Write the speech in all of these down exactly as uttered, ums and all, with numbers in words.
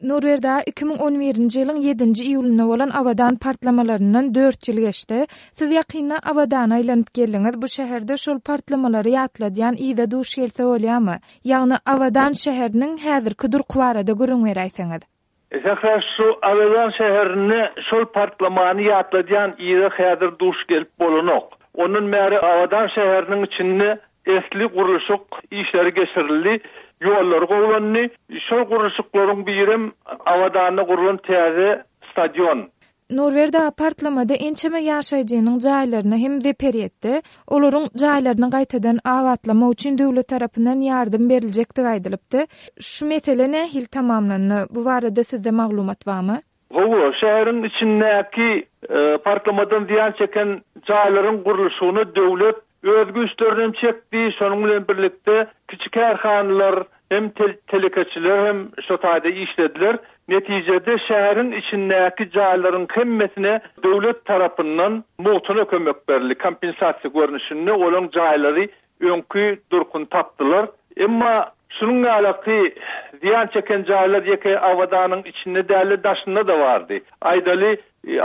Nurberdi aga, iki müň on birinji ýylyň ýedinji iýulynda bolan Abadan partlamalaryndan dört ýyl geçdi. Siz ýakynda Abadana aýlanyp geldiňiz. Bu şäherde şol partlamalary ýatladýan yza duş gelse bolýarmy? Ýagny Abadan şäheriniň häzirki durky barada gürrüň beräýseňiz. Sähra, şu Abadan şäherinde şol partlamany ýatladýan yza häzir duş gelip bolanok. Ondan bäri Abadan şäheriniň içinde esli gurluşyk işleri geçirildi, ýollar gowulandy. Şol gurluşyklaryň birem Abadanda gurlan täze stadion. Nurberdi aga, partlamada ençeme ýaşaýjynyň jaýlaryna hem zeper ýetdi. Olaryň jaýlaryny gaýtadan abatlamak üçin döwlet tarapyndan ýardam beriljekdigi aýdylypdy. Şu mesele nähili tamamlandy? Bu barada sizde maglumat barmy? Hawa, şäheriň içindäki, e, partlamadan zyýan çeken jaýlaryň gurluşygyna döwlet öz güýçlerini hem çekdi, şonuň bilen birlikde kiçi kärhanalar hem tel-, telekeçiler hem şo taýda işlediler. Netijede şäheriň içindäki jaýlaryň hemmesine döwlet tarapyndan mugtuna kömek berildi. Kompensasiýa görnüşinde olaň jaýlary öňki durkuny tapdylar. Emma şunuň ýaly zyýan çeken jaýlar ýeke Abadanyň içinde däl, daşynda da bardy. Aýdaly,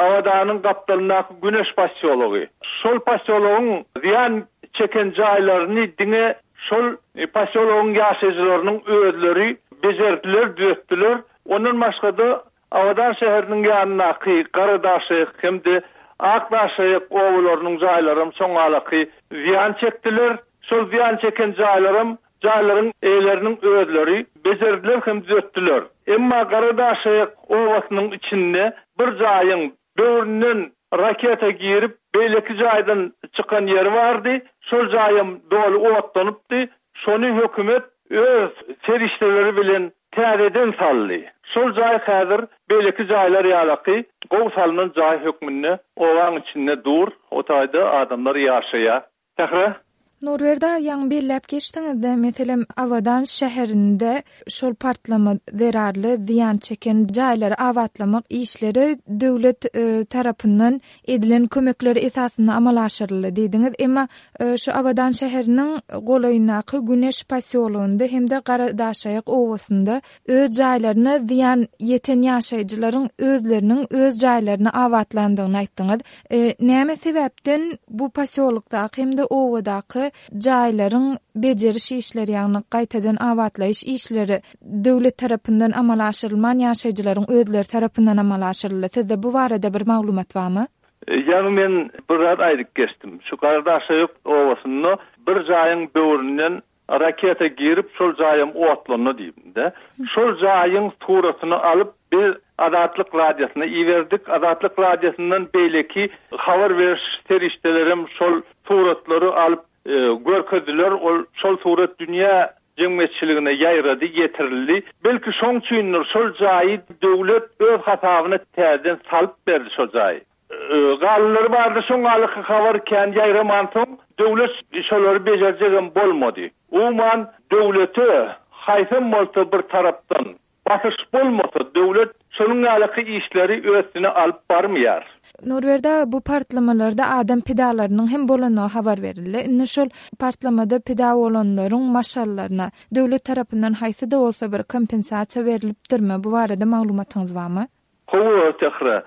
Abadanyň gapdalyndaky Güneş posýology. Şol posýologyň zyýan çeken jaýlaryny diňe şol posýologyň ýaşaýjylarynyň özleri bejerdiler, düzetdiler. Ondan başga da Abadan şäheriniň ýanyndaky Garadaşaýyk hem-de Akdaşaýyk obalarynyň jaýlaram soňalaky zyýan çekdiler. Şol zyýan çeken jaýlaram jaýlaryň eýeleriniň özleri bejerdiler hem düzetdiler. Emma Garadaşaýyk obasynyň içinde bir jaýyň böwründen raketa girip beýleki jaýdan çykan ýeri bardy. Şol jaýam doly otlanypdy. Şony hökümet öz serişdeleri bilen täzeden saldy. Şol jaý häzir beýleki jaýlar ýalaky gow salynan jaý hökmünde owaň içinde dur. O taýda adamlar ýaşaýar. Sähra? Nurberdi aga, ýaňy belläp geçdiňizde, meselem, Abadan şäherinde şol partlama zerarly zyýan çeken jaýlary abatlamak işleri döwlet, e, tarapyndan edilen kömekler esasynda amala aşyryldy diýdiňiz. Emma, e, şu Abadan şäheriniň golaýyndaky Güneş posýologynda hem-de Garadaşaýyk obasynda öz jaýlaryna zyýan ýeten ýaşaýjylaryň özleriniň öz jaýlaryny abatlandygyny aýtdyňyz. E, näme sebäpden bu posýolokdaky hem-de obadaky jaýlaryň bejeriş işleri, ýagny gaýtadan abatlaýyş işleri döwlet tarapyndan amala aşyrylman, ýaşaýjylaryň özleri tarapyndan amala aşyryldy? Sizde bu barada bir maglumat barmy? E, ýagny men bir zat aýdyp geçdim. Şu Garadaşaýyk obasynda bir jaýyň böwründen raketa girip şol jaýam otlandy diýdim-de. Şol jaýyň suratyny alyp biz Azatlyk Radiosyna iberdik. Azatlyk Radiosyndan beýleki habar beriş serişdelerim şol suratlary alyp, e, görkezdiler. Ol şol surat dünýä jemgyýetçiligine ýaýrady, getirildi. Belki şoň üçindir şol jaýy döwlet öz hasabyna täzeden salyp berdi şol jaýy. E, galanlary bardy, şoň alyky habar kän ýaýraman soň döwlet şolary bejerjegem bolmady. Umuman döwlete haýsam bolsa bir tarapdan basyş bolmasa döwlet şonuň ýaly işleri özüne alyp barmaýar. Nurberdi aga, bu partlamalarda adam pidalarynyň hem bolanyny habar berildi. Indi şol partlamada pida bolanlaryň maşgalaryna döwlet tarapyndan haýsy da bolsa bir kompensasiýa berilipdirmi? Bu barada maglumatyňyz barmy? Hawa, Sähra.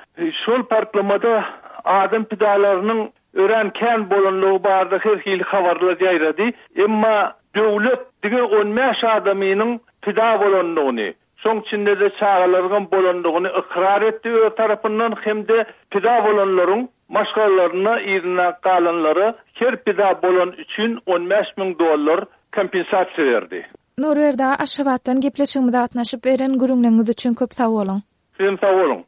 Şol partlamada adam pidalarynyň örän kän bolanlygy barada her hili habarlar ýaýrady. Emma döwlet diňe on bäş adamynyň pida bolanlygyny, şoň içinde de çagalaryň bolanlygyny ykrar etdi öz tarapyndan hem-de pida bolanlaryň maşgalalaryna yzyna galanlara her pida bolan üçin on bäş müň dollar kompensasiýa berdi. Nurberdi aga, Aşgabatdan gepleşigimize gatnaşyp beren gürrüňleriňiz üçin köp sag boluň. Sizem sag boluň.